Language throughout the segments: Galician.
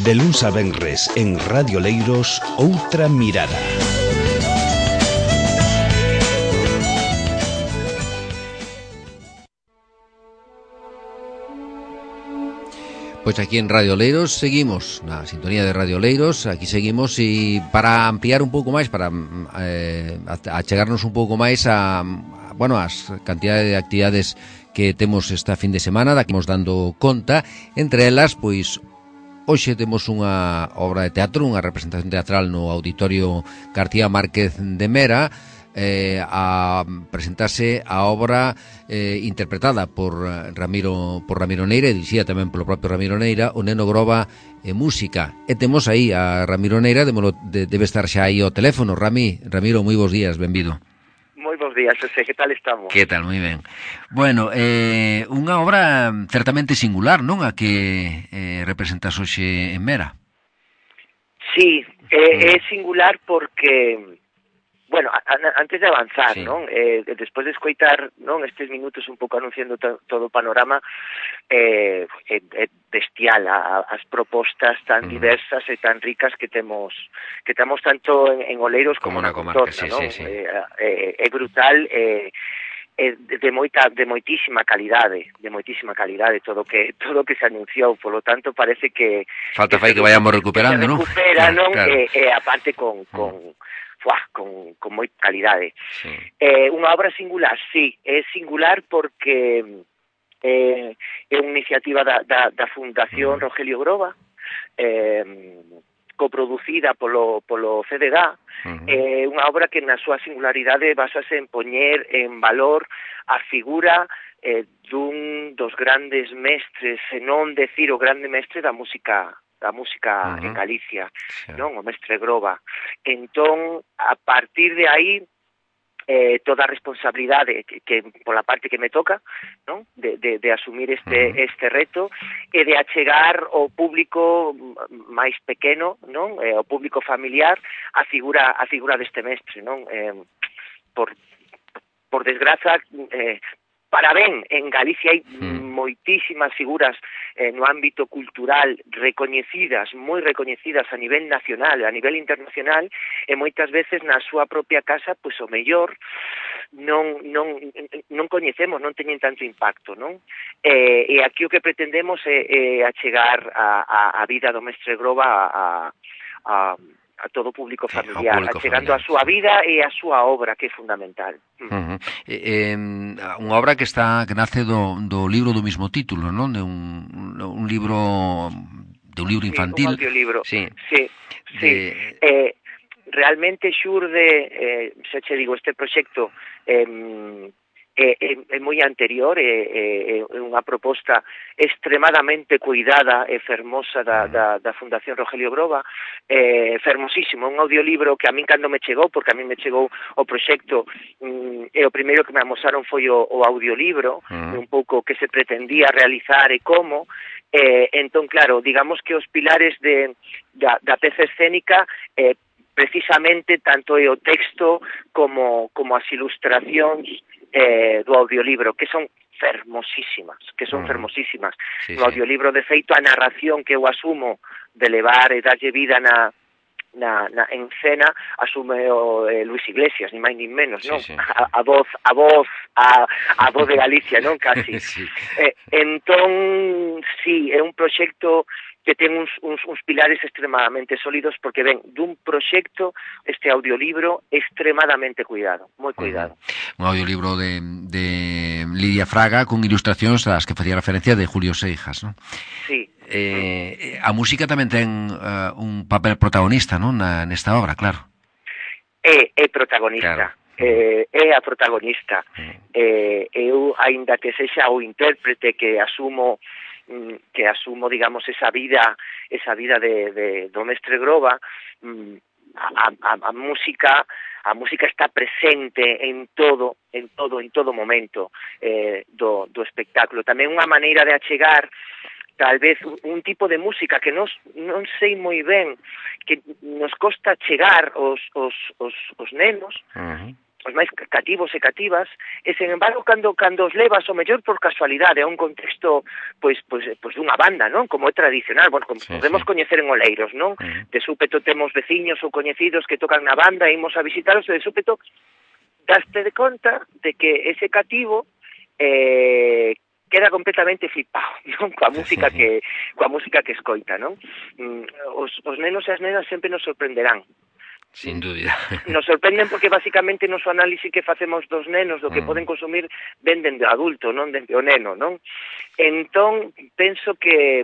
De luns a venres en Radio Leiros, Outra Mirada. Pois aquí en Radio Leiros seguimos, na sintonía de Radio Leiros, aquí seguimos e para ampliar un pouco máis, para achegarnos un pouco máis a as cantidades de actividades que temos esta fin de semana, da que imos dando conta, entre elas, pois, hoxe temos unha obra de teatro, unha representación teatral no Auditorio García Márquez de Mera, a presentarse a obra interpretada por Ramiro Neira e dirixida tamén polo propio Ramiro Neira, O Neno Groba e Música. E temos aí a Ramiro Neira, debe estar xa aí ao teléfono. Ramiro, moi bons días, benvido. Moi bons días, José, que tal estamos? Que tal, moi ben. Bueno, unha obra certamente singular, non? A que representas hoxe en Mera. Sí, é singular porque... Bueno, antes de avanzar, sí, non? Despois de escoitar, non, estes minutos un pouco anunciando todo o panorama, é bestial as propostas tan diversas e tan ricas que temos tanto en Oleiros como na contorna, sí, non? Sí. É brutal, de moitísima calidade todo o que se anunciou, polo tanto parece que falta fai que vayamos recuperando, non? Claro. E aparte con moita calidade. Sí. Unha obra singular, sí, é singular porque é unha iniciativa da Fundación Rogelio Groba, coproducida polo CDG, unha obra que na súa singularidade basase en poñer en valor a figura dun dos grandes mestres, se non decir o grande mestre da música en Galicia, non? O mestre Groba. Entón, a partir de aí, toda a responsabilidade que pola parte que me toca, non? De asumir este reto e de achegar ao público máis pequeno, non? Ao público familiar a figura deste mestre, non? Por desgraza, para ben, en Galicia hai moitísimas figuras no ámbito cultural moi recoñecidas a nivel nacional, a nivel internacional, e moitas veces na súa propia casa, pois o mellor non coñecemos, non teñen tanto impacto, non? E aquí o que pretendemos é achegar a vida do mestre Groba a todo o público familiar, achegando a súa vida e a súa obra, que é fundamental. Unha obra que nace do libro do mismo título, non? De un libro infantil. Un audiolibro, sí. Realmente xurde, xa che digo, este proxecto é moi anterior, é unha proposta extremadamente cuidada e fermosa da Fundación Rogelio Groba, fermosísimo, un audiolibro que a min cando me chegou, porque a min me chegou o proxecto, e o primeiro que me amosaron foi o audiolibro, un pouco que se pretendía realizar e como, entón, claro, digamos que os pilares da peza escénica precisamente tanto é o texto como as ilustracións do audiolibro, que son fermosísimas. Sí, no audiolibro, de feito, a narración que eu asumo de levar e darlle vida en cena asume o Luis Iglesias, ni máis ni menos, non? Sí. A voz de Galicia, non? Casi. Sí. Entón, sí, é un proxecto que ten uns pilares extremadamente sólidos, porque ven dun proxecto, este audiolibro, extremadamente cuidado, moi cuidado. Un audiolibro de Lidia Fraga con ilustracións ás que facía referencia de Julio Seijas, non? Sí. A música tamén ten un papel protagonista, non? Nesta obra, claro. É protagonista. Claro. É a protagonista. Eu, aínda que sexa o intérprete que asumo, digamos, esa vida do mestre Groba, a música está presente en todo momento do espectáculo. Tamén unha maneira de achegar tal vez un tipo de música que non sei moi ben, que nos costa chegar os nenos, máis cativos e cativas, e sen embargo cando os levas o mellor por casualidade a un contexto pois dunha banda, non? Como é tradicional, bueno, como podemos coñecer en Oleiros, non? De súpeto temos veciños ou coñecidos que tocan na banda, imos a visitaros e de súpeto daste de conta de que ese cativo queda completamente flipado, non? Coa música que escoita, non? Os nenos e as nenas sempre nos sorprenderán. Sin dúbida. Nos sorprenden porque basicamente no análisis que facemos dos nenos do que poden consumir ven dende o adulto, non dende o neno, non? Entón, penso que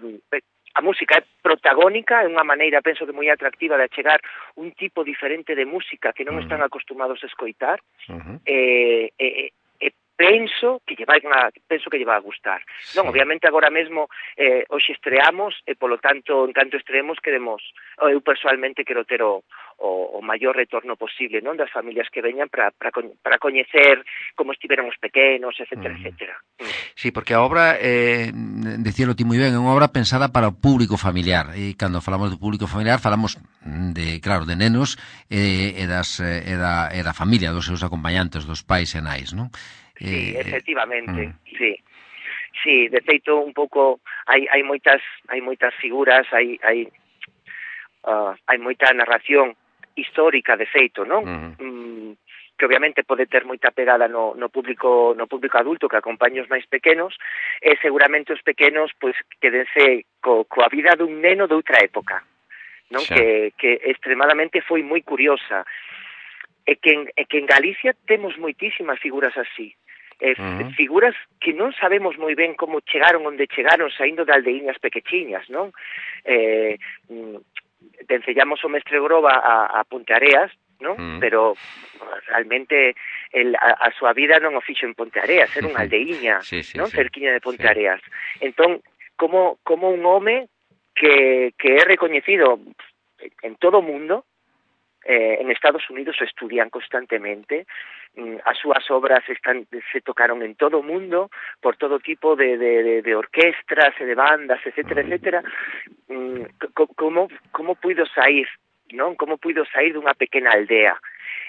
a música é protagónica, é unha maneira, penso que moi atractiva de achegar un tipo diferente de música que non están acostumados a escoitar, penso que lle vai a gustar. Non, obviamente agora mesmo hoxe estreamos e polo tanto, en canto estreemos queremos, eu personalmente quero ter o maior retorno posible, non, das familias que veñan para coñecer como estiveron os pequenos, etcétera, etcétera. Sí, porque a obra, decíalo ti moi ben, é unha obra pensada para o público familiar, e cando falamos do público familiar falamos de nenos e da familia, dos seus acompañantes, dos pais e nais, non? Sí, efectivamente, sí. Sí, de feito un pouco hai moitas figuras, hai moita narración histórica de feito, non? Que obviamente pode ter moita pegada no público adulto que acompaña os máis pequenos, e seguramente os pequenos pois quedense coa vida dun neno de outra época, non? Que extremadamente foi moi curiosa. E que en Galicia temos moitísimas figuras así. Figuras que non sabemos moi ben como chegaron onde chegaron saindo de aldeiñas pequechiñas, non? Vencellamos o Mestre Groba a Ponteareas, non? Pero realmente a súa vida non o fixo en Ponteareas, era unha aldeiña, non? Cerquiña de Ponteareas. Entón, como un home que é recoñecido en todo o mundo, en Estados Unidos o estudian constantemente, as súas obras se tocaron en todo o mundo por todo tipo de orquestras e de bandas, etcétera, etcétera. Como puido sair, non? Como puido sair dunha pequena aldea?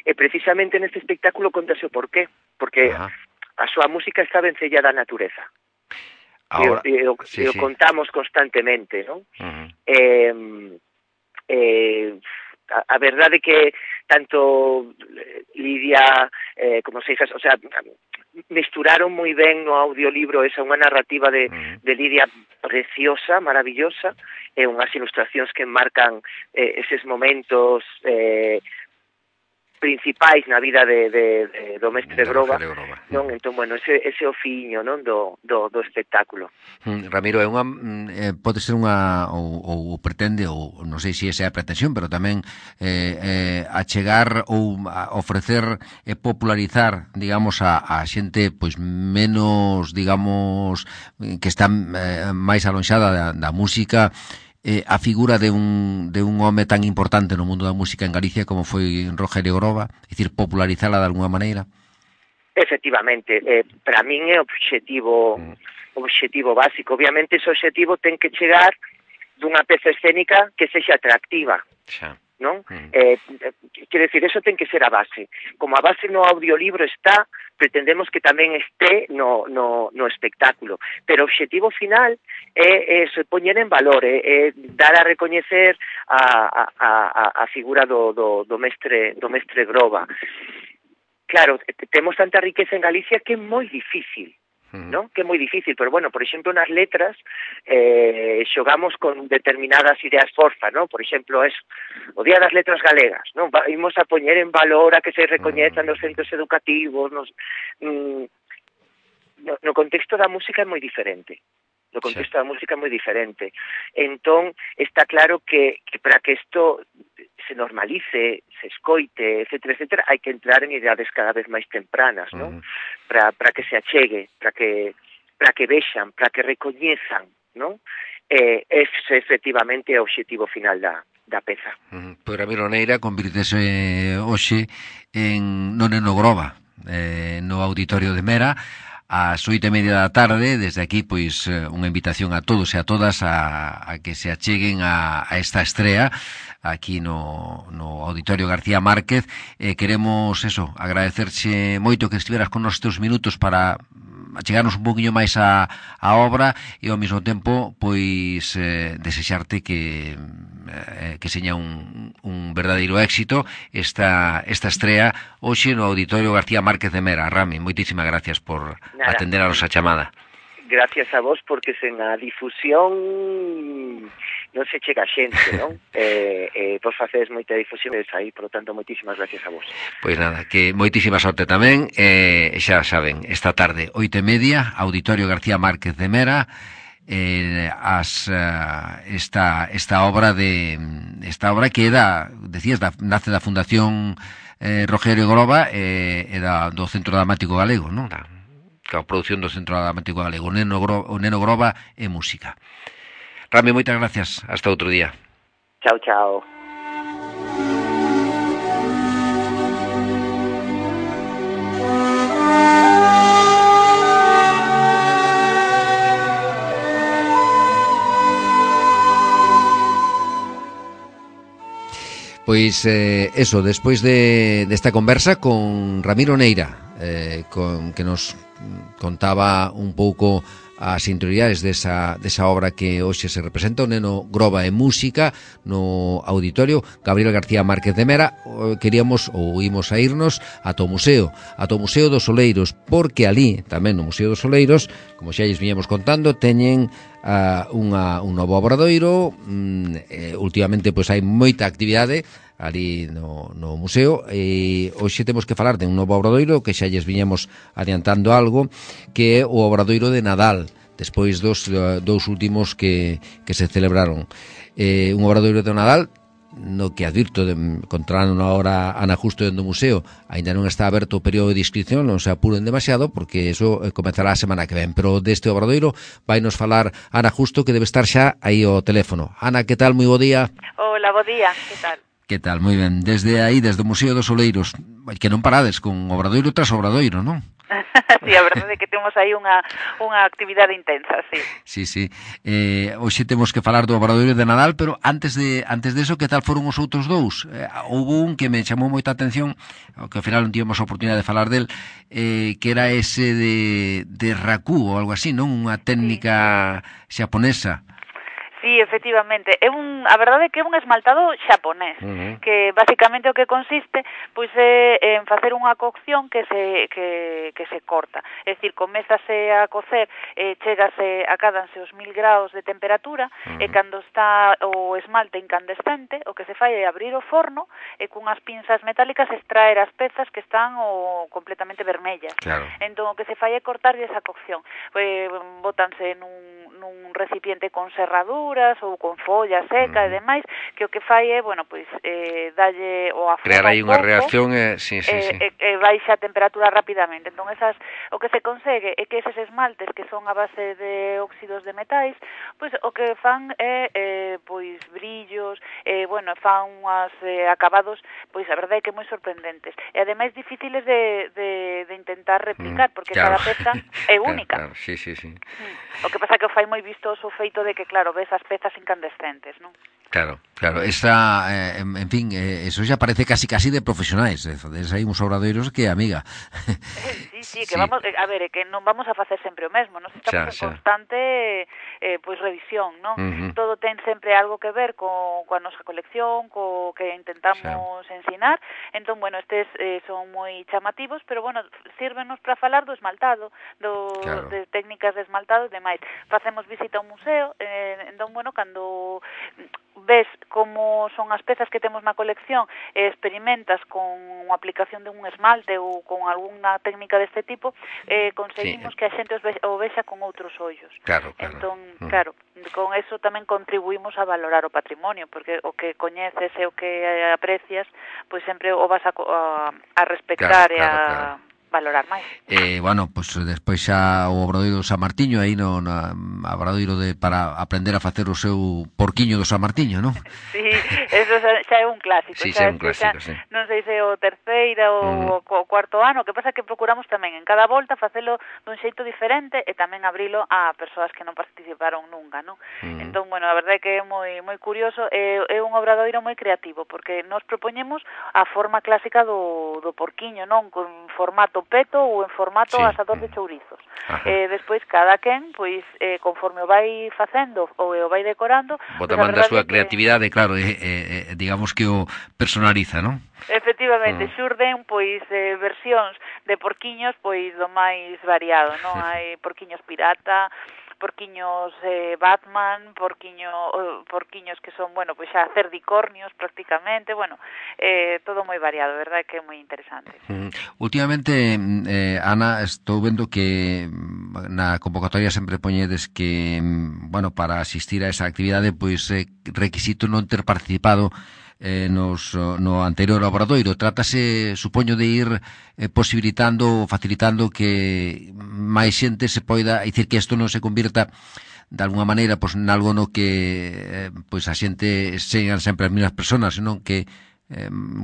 E precisamente neste espectáculo contase o porqué, porque a súa música está vencellada á natureza. Ahora, e o contamos constantemente, non? A verdade que tanto Lidia como Seixas, o sea, mesturaron moi ben no audiolibro esa unha narrativa de Lidia preciosa, maravillosa, e unhas ilustracións que marcan eses momentos principais na vida do Mestre Groba, non? Entón, bueno, ese ofiño, non, do espectáculo. Ramiro, é unha pode ser unha ou pretende, ou non sei se esa é a pretensión, pero tamén achegar ou ofrecer e popularizar, digamos, a xente pois menos, digamos, que está máis alonxada da música, a figura de un home tan importante no mundo da música en Galicia como foi Rogelio Groba, é dicir, popularizala de alguma maneira? Efectivamente, para min é objetivo básico. Obviamente ese objetivo ten que chegar dunha peza escénica que sexa atractiva, non? Quero decir, eso ten que ser a base. Como a base no audiolibro está, pretendemos que tamén este no espectáculo. Pero o objetivo final é se poñer en valor, é dar a recoñecer a figura do mestre Groba. Claro, temos tanta riqueza en Galicia que é moi difícil, non? Que é moi difícil, pero bueno, por exemplo, nas letras xogamos con determinadas ideas forza, non? Por exemplo, o Día das Letras Galegas, non? Imos a poñer en valor a que se recoñezan nos centros educativos, no contexto da música é moi diferente. No contexto da música é moi diferente. Entón, está claro que para que isto se normalice, se escoite, etcétera, etcétera, hai que entrar en idades cada vez máis tempranas, non? Para que se achegue, para que vexan, para que recoñezan, non? Ese efectivamente é o obxectivo final da peza. Pois Ramiro Neira convirtese hoxe no Neno Groba, no Auditorio de Mera, ás 8:30 da tarde. Desde aquí, pois, unha invitación a todos e a todas a que se acheguen a esta estrea aquí no Auditorio García Márquez. Queremos agradecerche moito que estiveras con nos estes minutos para achegarnos un poquinho máis a obra e ao mesmo tempo pois desexarte que seña un verdadeiro éxito esta estrea hoxe no Auditorio García Márquez de Mera. Rami, moitísimas gracias por atender a nosa chamada. Gracias a vos, porque sen a difusión non se chega a xente, non? Vos facedes moita difusión aí, por lo tanto, moitísimas gracias a vos. Pois nada, que moitísima sorte tamén, xa saben, esta tarde, 8:30, Auditorio García Márquez de Mera, esta obra que nace da Fundación Rogelio Groba e do Centro Dramático Galego, non? A produción do Centro Dramático Galego, o Neno Groba e Música. Rami, moitas gracias. Hasta outro día. Chao, chao. Pois despois desta conversa con Ramiro Neira, que nos contaba un pouco as interioridades desa obra que hoxe se representa, o Neno Groba e Música, no Auditorio Gabriel García Márquez de Mera. Imos a irnos ata o Museo dos Oleiros, porque ali, tamén no Museo dos Oleiros, como xa lles viñemos contando, teñen un novo obradoiro. Últimamente pois hai moita actividade ali no museo, e hoxe temos que falar de un novo obradoiro que xa lles viñamos adiantando algo, que é o obradoiro de Nadal, despois dos últimos que se celebraron. Un obradoiro de Nadal no que advirto controlando na hora Ana Justo dentro do museo, ainda non está aberto o período de inscripción, non se apuren demasiado porque eso comezará a semana que ven, pero deste obradoiro vai nos falar Ana Justo, que debe estar xa aí ao teléfono. Ana, que tal? Moi bo día. Hola, bo día, que tal? Que tal? Moi ben. Desde o Museo dos Oleiros, que non parades con obradoiro tras obradoiro, non? Sí, a verdade é que temos aí unha actividade intensa, sí. Sí. Hoxe temos que falar do obradoiro de Nadal, pero antes de eso, que tal foron os outros dous? Houve un que me chamou moita atención, que ao final non tivemos a oportunidade de falar del, que era ese de raku ou algo así, non? Unha técnica xaponesa. Sí, efectivamente. A verdade é que é un esmaltado xaponés, que basicamente o que consiste pois é en facer unha cocción que se corta. É dicir, comézase a cocer, acádanse os 1000 graus de temperatura, e cando está o esmalte incandescente, o que se fai é abrir o forno e cunhas pinzas metálicas extraer as pezas que están completamente vermellas. Claro. Entón, o que se fai é cortar esa cocción. Bótanse nun recipiente con serradura ou con folla seca e demais, que o que fai é, dalle o afoga crear aí unha reacción sí. Baixa a temperatura rapidamente. Entón, o que se consegue é que eses esmaltes que son a base de óxidos de metais, pois o que fan é brillos, fan unhas acabados, pois a verdade é que moi sorprendentes. E ademais difíciles de intentar replicar, porque claro. Cada peza é única. Claro. Sí. O que pasa que o fai moi vistoso o feito de que, claro, ves as pezas incandescentes, non? Claro. En fin, eso xa parece casi de profesionais. Hai uns obradoiros que, amiga. Sí, que vamos, a ver, que non vamos a facer sempre o mesmo, non? Estamos en constante revisión, non? Todo ten sempre algo que ver coa nosa colección, co que intentamos ensinar. Entón, estes son moi chamativos, pero, sírvenos para falar do esmaltado, de técnicas de esmaltado e demais. Facemos visita ao museo, entón, cando ves como son as pezas que temos na colección e experimentas con a aplicación de un esmalte ou con algunha técnica deste tipo, conseguimos que a xente o vexa con outros ollos. Claro. Entón, claro, con eso tamén contribuímos a valorar o patrimonio, porque o que coñeces e o que aprecias, pois sempre o vas a respectar e a valorar máis. Despois xa o obradoiro do San Martiño, aí no obradoiro para aprender a facer o seu porquiño do San Martiño, non? Sí, Eso xa é un clásico. Sí, xa é un clásico, sí. Non sei se o terceiro ou o cuarto ano, o que pasa é que procuramos tamén en cada volta facelo dun xeito diferente e tamén abrilo a persoas que non participaron nunca, non? Entón, bueno, a verdade é que é moi curioso, é un obradoiro moi creativo, porque nos propoñemos a forma clásica do porquiño, non? Con formato peto ou en formato asador de chourizos. Despois, cada quen, pois, conforme o vai facendo ou o vai decorando... Botamando a súa creatividade, claro, digamos que o personaliza, non? Efectivamente, xurden, pois, versións de porquiños, pois, do máis variado, non? Hai porquiños pirata, porquiños Batman, porquiños que son, bueno, pois xa cerdicornios prácticamente, bueno, todo moi variado, verdade que é moi interesante. Últimamente, Ana, estou vendo que na convocatoria sempre poñedes que, bueno, para asistir a esa actividade, pois requisito non ter participado no anterior obradoiro. Trátase, supoño, de ir posibilitando, facilitando que máis xente se poida, dicir que isto non se convirta de alguna maneira pois nalgo no que pois a xente sean sempre as mesmas persoas, senón que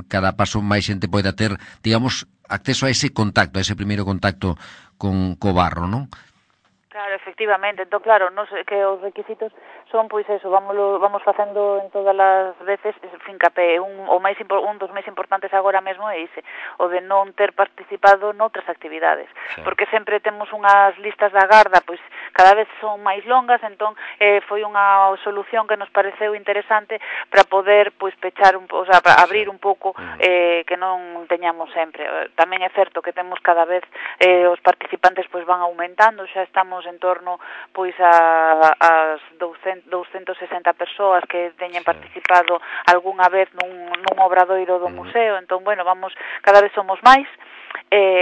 cada paso máis xente poida ter, digamos, acceso a ese contacto, a ese primeiro contacto co barro, non? Claro, efectivamente, entón claro, nos que os requisitos son pois eso, vamos facendo en todas as veces fincapé, un dos máis importantes agora mesmo é ese, o de non ter participado noutras actividades, porque sempre temos unhas listas da garda, pois cada vez son máis longas, entón foi unha solución que nos pareceu interesante para poder pois pechar o sea, para abrir un pouco que non teñamos sempre. Tamén é certo que temos cada vez os participantes pois van aumentando, xa estamos en torno pois as 260 persoas que teñen participado algunha vez nun obradoiro do museo, entón, bueno, cada vez somos máis,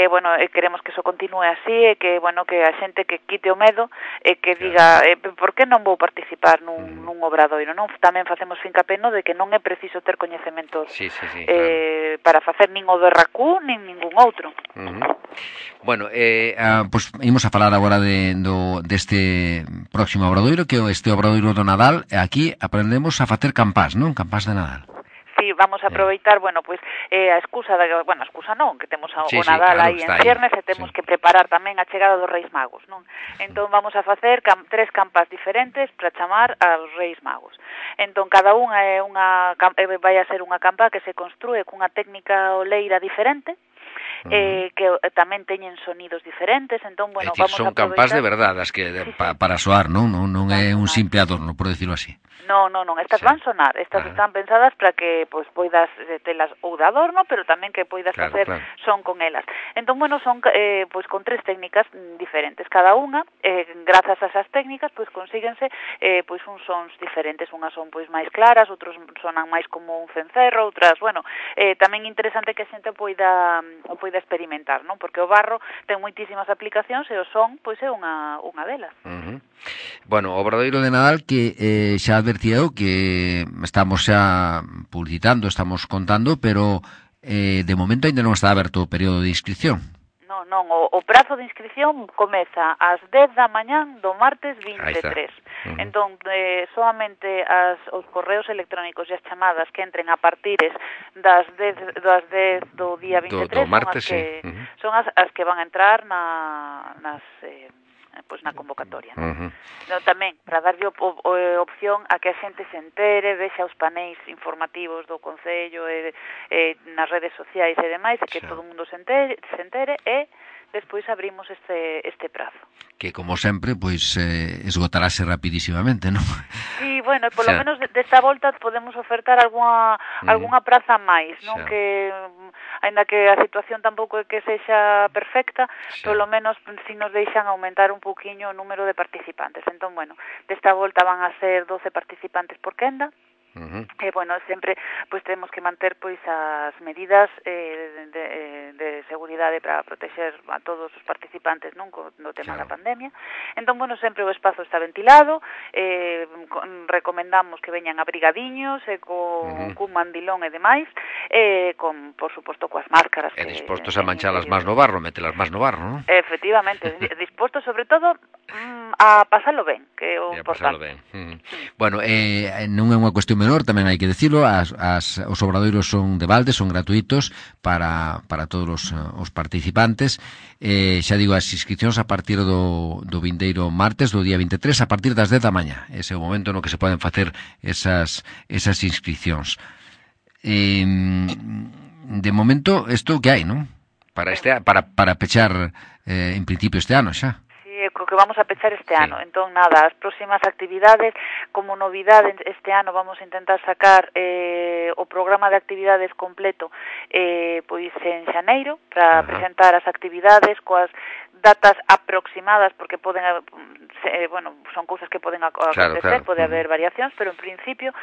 bueno, queremos que iso continue así, e que, bueno, que a xente que quite o medo e que diga, por que non vou participar nun obradoiro, non? Tamén facemos fincapé no de que non é preciso ter coñecementos claro, para facer nin o do RACU, nin ningún outro. Bueno, pois imos a falar agora deste próximo obradoiro, que é este obradoiro do Nadal. Aquí aprendemos a facer campás, non? Campás de Nadal. Sí, vamos a aproveitar, bueno, pois a excusa non, que temos o Nadal aí en ciernes e temos que preparar tamén a chegada dos Reis Magos, non? Entón vamos a facer 3 campas diferentes para chamar aos Reis Magos. Entón cada unha vai a ser unha campa que se construe cunha técnica oleira diferente, que tamén teñen sonidos diferentes, entón, bueno, vamos a aproveitar... Son campás de verdade, as que para soar, non é un simple adorno, por decirlo así. Non, estas van sonar, estas están pensadas para que pois poidas telas ou de adorno, pero tamén que poidas facer son con elas. Entón, bueno, son pois con 3 técnicas diferentes, cada unha, grazas a esas técnicas, pois consíguense pois uns sons diferentes, unhas son pois máis claras, outros sonan máis como un cencerro, outras, bueno, tamén interesante que a xente poida experimentar, non? Porque o barro ten moitísimas aplicacións e o son, pois é unha delas. Bueno, o obradoiro de Nadal que xa advertía eu que estamos xa publicitando, estamos contando, pero de momento ainda non está aberto o período de inscripción. Non, o prazo de inscripción comeza ás 10 da mañán do martes 23. Entón, solamente os correos electrónicos e as chamadas que entren a partires das 10 do día 23 do martes, son as que van a entrar pois na convocatoria. Tamén, para darlle opción a que a xente se entere, vexa os paneis informativos do Concello nas redes sociais e demais, que todo o mundo se entere e despois abrimos este prazo. Que, como sempre, pois esgotarase rapidísimamente, non? Sí, bueno, polo menos desta volta podemos ofertar algunha praza máis, non? Que, aínda que a situación tampouco é que sexa perfecta, polo menos si nos deixan aumentar un pouquiño o número de participantes. Entón, bueno, desta volta van a ser 12 participantes por quenda, e, bueno, sempre pois temos que manter pois as medidas de seguridade para protexer a todos os participantes, non, no tema da pandemia. Entón, bueno, sempre o espazo está ventilado, recomendamos que veñan abrigadiños e cun mandilón e demais, por suposto coas máscaras. E dispostos a manchalas máis no barro, metelas máis no barro, non? Efectivamente, dispostos sobre todo a pasalo ben, que é o importante. Bueno, non é unha cuestión menor, tamén hai que decirlo, os obradoiros son de balde, son gratuitos para todos os participantes. Xa digo, as inscripcións a partir do vindeiro martes, do día 23, a partir das 10 da mañá. Ese é o momento no que se poden facer esas inscripcións. De momento, isto que hai, non? Para pechar, en principio, este ano xa. Que vamos a pechar este ano. Entón, nada, as próximas actividades, como novidade este ano vamos a intentar sacar o programa de actividades completo pois en xaneiro, para presentar as actividades coas datas aproximadas, porque poden son cousas que poden acontecer, claro. Pode haber variacións, pero en principio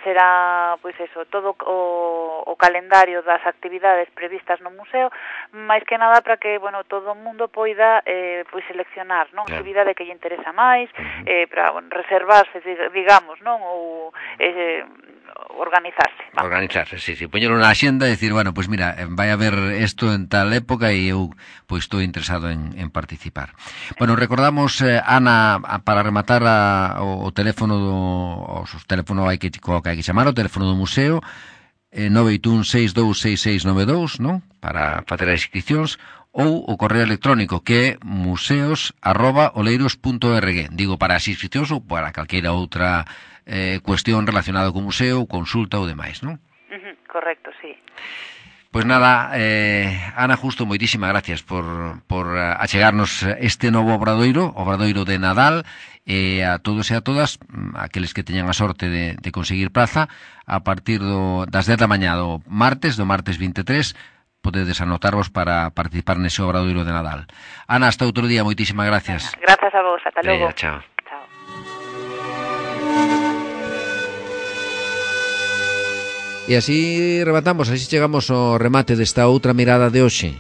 será, pois eso, todo o calendario das actividades previstas no museo, máis que nada para que, todo o mundo poida pois seleccionar, non, a actividade que lle interesa máis, para reservarse, digamos, non, ou organizarse. Vamos. Organizarse, sí, poñelo na axenda e dicir, pues mira, vai haber isto en tal época e eu pois estou interesado en participar. Bueno, recordamos, Ana, para rematar o teléfono os teléfono hai que chamar, o teléfono do museo 981626692, non? Para facer as inscripcións, ou o correo electrónico que é museos@oleiros.org. Digo, para as inscripcións ou para calqueira outra cuestión relacionada co museo, consulta ou demais, non? Correcto, sí. Pois nada, Ana Justo, moitísimas gracias por achegarnos este novo obradoiro de Nadal, e a todos e a todas, aqueles que teñan a sorte de conseguir praza, a partir das 10 da mañá do martes 23, podedes anotarvos para participar nese obradoiro de Nadal. Ana, hasta outro día, moitísimas gracias. Gracias a vos, ata logo. Chao. E así rematamos, así chegamos ao remate desta outra mirada de hoxe.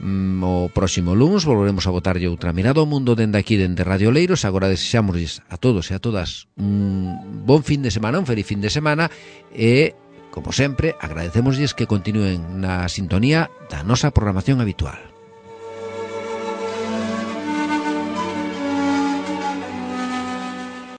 O próximo lunes volveremos a botarlle outra mirada ao mundo dende aquí, dende Radio Oleiros. Agora desexámosles a todos e a todas un bon fin de semana, un feliz fin de semana, e, como sempre, agradecémosles que continúen na sintonía da nosa programación habitual.